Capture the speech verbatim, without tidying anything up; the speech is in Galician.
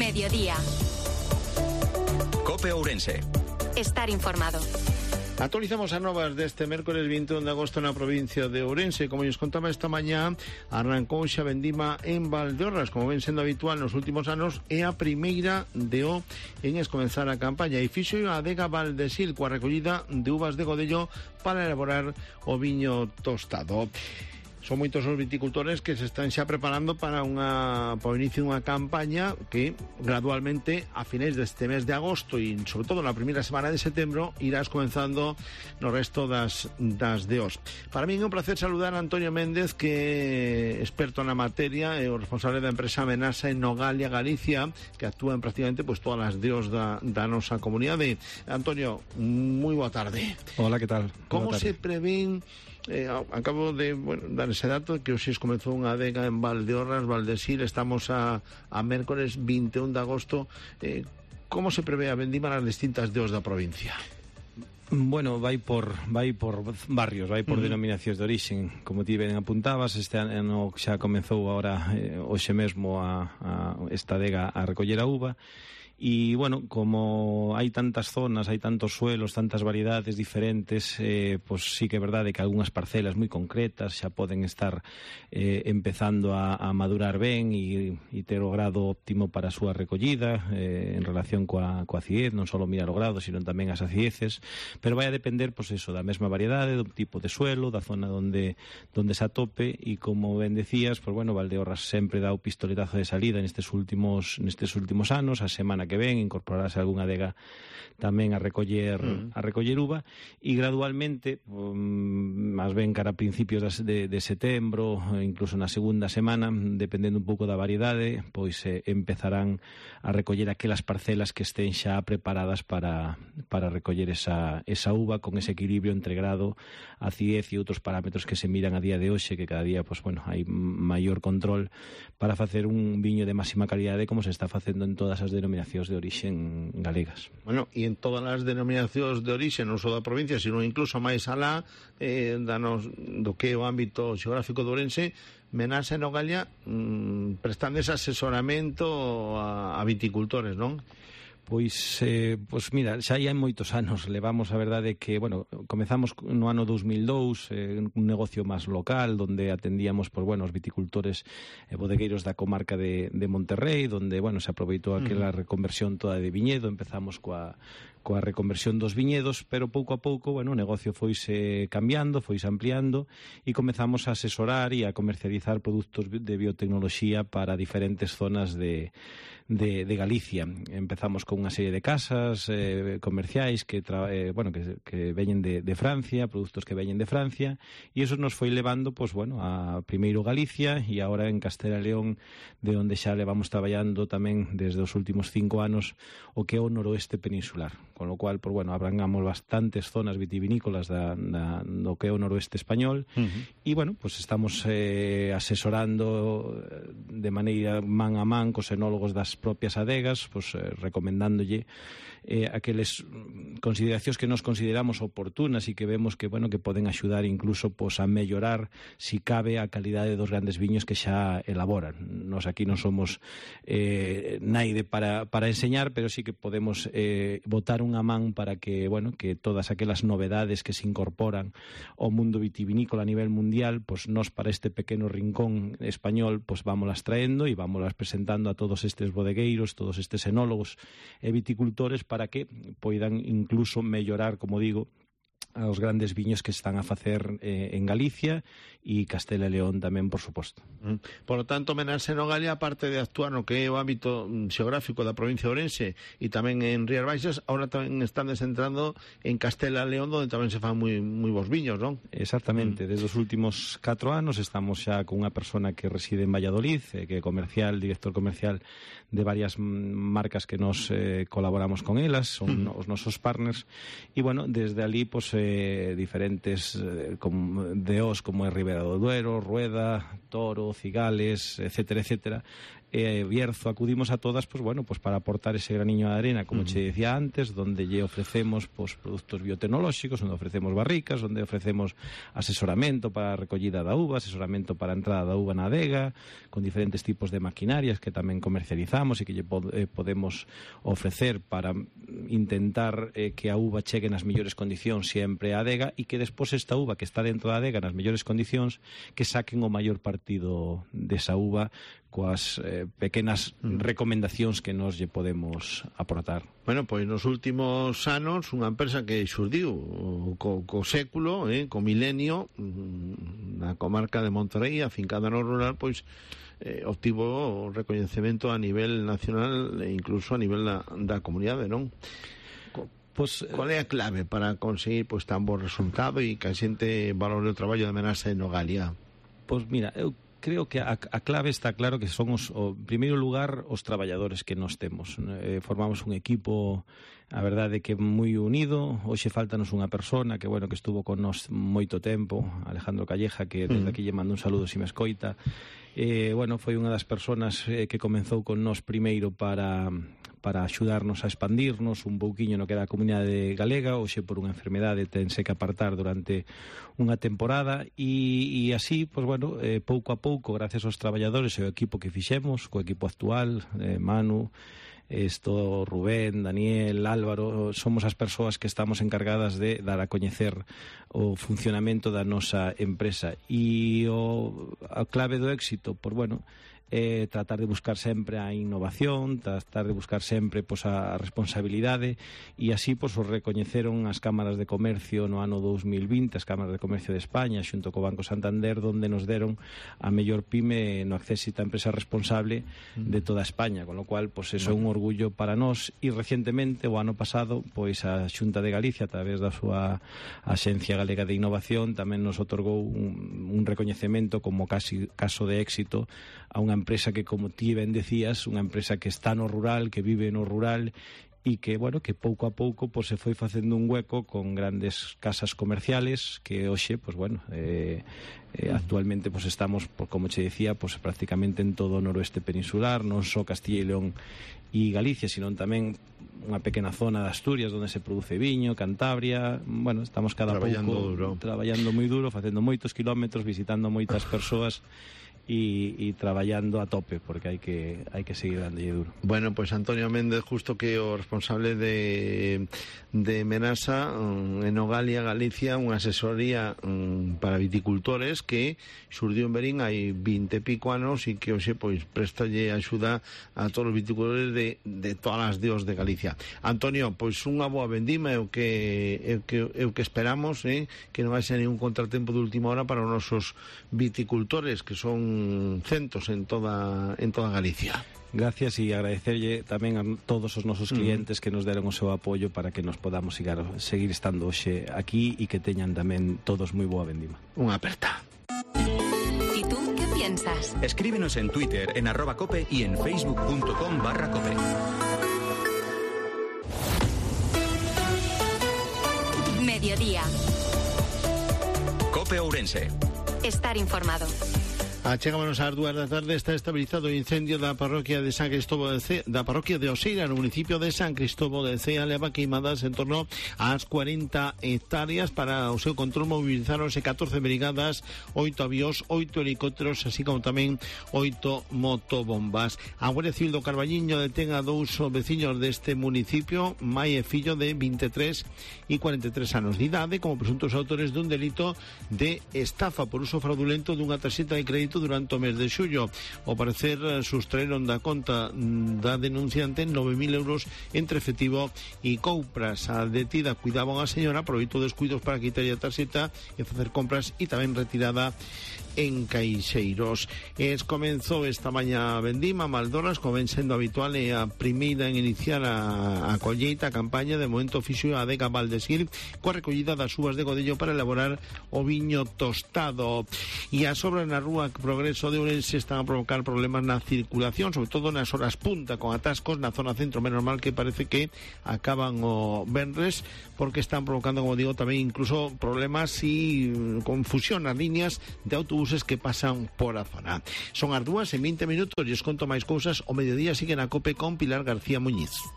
mediodía. COPE Ourense. Estar informado. Actualizamos a novas deste mércores vinte e un de agosto na provincia de Ourense. Como lles contaba esta mañá, arrancou xa vendima en Valdeorras, como ven sendo habitual nos últimos anos, é a primeira de o en escomenzar a campaña. E fixo a adega Valdesil coa recollida de uvas de Godello para elaborar o viño tostado. Son moitos os viticultores que se están xa preparando para unha para o inicio dunha campaña que gradualmente a finais deste mes de agosto e sobre todo na primeira semana de setembro irás comenzando no resto das, das D Os. Para mí é un placer saludar a Antonio Méndez, que é experto na materia, é o responsable da empresa Menasa en Nogalia, Galicia, que actúa en prácticamente pues, todas as D Os da, da nosa comunidade. Antonio, moi boa tarde. Hola, que tal? Como se prevén? Eh, acabo de bueno, dar ese dato que hoxe comezou unha adega en Valdeorras, Valdesil. Estamos a, a mércores vinte e un de agosto. eh, Como se prevé a vendima nas distintas D Os da provincia? Bueno, vai por vai por barrios, vai por uh-huh. denominacións de orixen. Como ti ben apuntabas, este ano xa comezou agora eh, hoxe mesmo a, a esta adega a recoller a uva. E, bueno, como hai tantas zonas, hai tantos suelos, tantas variedades diferentes, eh, pues sí que é verdade que algunhas parcelas moi concretas xa poden estar eh, empezando a, a madurar ben e, e ter o grado óptimo para a súa recollida eh, en relación coa, coa acidez, non só mirar o grado, sino tamén as acideces, pero vai a depender, pues eso, da mesma variedade, do tipo de suelo, da zona onde, onde se atope, e como ben decías, pues bueno, Valdeorras sempre dá o pistoletazo de salida nestes últimos, nestes últimos anos. A semana que ven incorporarase algunha adega tamén a recoller mm. a recoller uva, e gradualmente um, máis ben cara a principios de, de setembro, incluso na segunda semana, dependendo un pouco da variedade, pois eh, empezarán a recoller aquelas parcelas que estén xa preparadas para, para recoller esa, esa uva con ese equilibrio entre grado, acidez e outros parámetros que se miran a día de hoxe, que cada día pues, bueno, hai maior control para facer un viño de máxima calidade, como se está facendo en todas as denominacións de orixen galegas. Bueno, e en todas as denominacións de orixe, non só da provincia, sino incluso máis alá eh, danos, do que é o ámbito xeográfico de Ourense, Menasa e Nogalia mmm, prestando ese asesoramento a, a viticultores, non? Pois, eh, pois mira, xa hai moitos anos. Levamos, a verdade, que, bueno, comezamos no ano dous mil dous, eh, un negocio máis local, donde atendíamos, por, bueno, os viticultores e eh, bodegueiros da comarca de, de Monterrey, donde, bueno, se aproveitou aquela reconversión toda de viñedo. Empezamos coa, coa reconversión dos viñedos, pero pouco a pouco, bueno, o negocio foise cambiando, foise ampliando, e comezamos a asesorar e a comercializar produtos de biotecnoloxía para diferentes zonas de De, de Galicia. Empezamos con unha serie de casas eh, comerciais que, tra, eh, bueno, que, que veñen de, de Francia, produtos que veñen de Francia, e eso nos foi levando, pues, bueno, a primeiro Galicia e agora en Castela e León, de onde xa levamos traballando tamén desde os últimos cinco anos o que é o noroeste peninsular, con lo cual, pues, bueno, abrangamos bastantes zonas vitivinícolas da, da, do que é o noroeste español. Uh-huh. E, bueno, pues estamos eh, asesorando de maneira man a man cos enólogos das propias adegas, pues, eh, recomendándolle eh, aqueles consideracións que nos consideramos oportunas e que vemos que, bueno, que poden axudar incluso pues, a mellorar, si cabe, a calidade dos grandes viños que xa elaboran. Nos aquí non somos eh, naide para, para enseñar, pero sí que podemos eh, botar unha man para que, bueno, que todas aquelas novedades que se incorporan ao mundo vitivinícola a nivel mundial, pues nos para este pequeno rincón español, pues vámolas traendo e vámolas presentando a todos estes bodegueiros, todos estes enólogos e viticultores, para que poidan incluso mellorar, como digo, aos grandes viños que están a facer eh, en Galicia e Castela e León tamén, por suposto. Mm. Por lo tanto, Menasa e Nogalia, aparte de actuar no que é o ámbito xeográfico da provincia de Ourense e tamén en Rías Baixas, ahora tamén están descentrando en Castela e León, onde tamén se fan moi, moi bons viños, non? Exactamente. Mm. Desde os últimos catro anos estamos xa con unha persona que reside en Valladolid, eh, que é comercial, director comercial de varias marcas que nos eh, colaboramos con elas, son mm. os nosos partners, e, bueno, desde ali, pues, eh, diferentes eh, como, de os como é Ribera do Duero, Rueda, Toro, Cigales, etcétera, etcétera, eh, Bierzo, acudimos a todas pues bueno, pues para aportar ese graniño de arena, como uh -huh. che decía antes, donde lle ofrecemos pues produtos biotecnolóxicos, onde ofrecemos barricas, onde ofrecemos asesoramento para a recollida da uva, asesoramento para a entrada da uva na adega, con diferentes tipos de maquinarias que tamén comercializamos e que lle pod eh, podemos ofrecer para intentar eh, que a uva chegue nas mellores condicións sempre á adega e que despois esta uva que está dentro da adega nas mellores condicións que saquen o maior partido desa uva coas eh, pequenas recomendacións que nos lle podemos aportar. Bueno, pois nos últimos anos unha empresa que xurdiu co, co século, eh, co milenio na comarca de Monterrey, afincada no rural, pois eh, obtivo o recoñecemento a nivel nacional e incluso a nivel da, da comunidade, non? Pues, qual é a clave para conseguir pois, tan bo resultado e que a xente valore o traballo de Menasa en Nogalia? Pois mira, eu creo que a, a clave está claro que son os, o, en primeiro lugar os traballadores que nos temos. Eh, formamos un equipo, a verdade que moi unido. Hoxe faltanos unha persona que bueno que estuvo con nós moito tempo, Alejandro Calleja, que desde aquí lle mando un saludo se me escoita. Eh, bueno, foi unha das persoas eh, que comenzou con nós primeiro para para axudarnos a expandirnos un pouquiño no que era a comunidade galega. Hoxe por unha enfermedade tense que apartar durante unha temporada e, e así, pois bueno, eh, pouco a pouco, gracias aos traballadores e ao equipo que fixemos, co equipo actual, eh, Manu, esto, Rubén, Daniel, Álvaro, somos as persoas que estamos encargadas de dar a coñecer o funcionamento da nosa empresa. E o, a clave do éxito, pois bueno, eh, tratar de buscar sempre a innovación, tratar de buscar sempre pois, a responsabilidade e así pois, os recoñeceron as cámaras de comercio no ano dous mil vinte, as cámaras de comercio de España xunto co Banco Santander, donde nos deron a mellor pyme no acceso a empresa responsable de toda España, con lo cual pois, eso é un orgullo para nós. E recientemente o ano pasado pois a Xunta de Galicia, a través da súa Axencia Galega de Innovación, tamén nos otorgou un, un recoñecemento como casi caso de éxito a unha empresa que, como ti ben decías, unha empresa que está no rural, que vive no rural e que, bueno, que pouco a pouco pues, se foi facendo un hueco con grandes casas comerciales que hoxe, pues bueno, eh, eh, actualmente pues, estamos, pues, como che decía, pues, prácticamente en todo o noroeste peninsular, non só Castilla e León e Galicia, sino tamén unha pequena zona de Asturias onde se produce viño, Cantabria. Bueno, estamos cada traballando pouco duro. traballando moi duro, facendo moitos kilómetros, visitando moitas persoas e, e traballando a tope, porque hai que hai que seguir dándolle duro. Bueno, pois pues Antonio Méndez, justo que o responsable de de Menasa um, en Nogalia, Galicia, unha asesoría um, para viticultores que xurdiu en Berín hai vinte e pico anos e que hoxe pois prestalle axuda a todos os viticultores de, de todas as dios de Galicia. Antonio, pois unha boa vendima é o que é o que, é o que esperamos, eh? Que non haxa ningún contratempo de última hora para os nosos viticultores, que son centos en toda en toda Galicia. Gracias e agradecerlle tamén a todos os nosos clientes que nos deron o seu apoio para que nos podamos seguir, seguir estando hoxe aquí e que teñan tamén todos moi boa vendima. Unha aperta. ¿Y tú qué piensas? Escríbenos en Twitter, en arroba cope y en facebook punto com barra cope. Mediodía. Cope Ourense. Estar informado. Achegámonos ás dúas da tarde. Está estabilizado o incendio da parroquia de San Cristóbal de Cea, da parroquia de Oseira, no municipio de San Cristóbal de Cea. Leva queimadas en torno ás cuarenta hectáreas. Para o seu control movilizáronse catorce brigadas, oito avións, oito helicópteros, así como tamén oito motobombas. A Guardia Civil do Carballiño detén a dous veciños deste municipio, mai e fillo, de vinte e tres e cuarenta e tres anos de idade, como presuntos autores dun delito de estafa por uso fraudulento dunha tarxeta de crédito durante o mes de xullo. Ao parecer sustraeron da conta da denunciante nove mil euros entre efectivo e compras. A detida cuidaba a señora, aproveitou descuidos para quitarlle a tarxeta e facer compras e tamén retirada en caixeiros. Es comenzou esta mañá a vendima Maldoras, como ven sendo habitual, é a primeira en iniciar a, a colleita, a campaña. De momento fixo a adega Valdesir coa recollida das uvas de Godello para elaborar o viño tostado. E as obras na rúa Progreso de Ourense están a provocar problemas na circulación, sobre todo nas horas punta, con atascos na zona centro. Menos mal que parece que acaban o venres, porque están provocando, como digo, tamén incluso problemas y confusión nas líneas de autobuses que pasan por a zona. Son as dúas en veinte minutos e os conto máis cousas. O mediodía sigue na COPE con Pilar García Muñiz.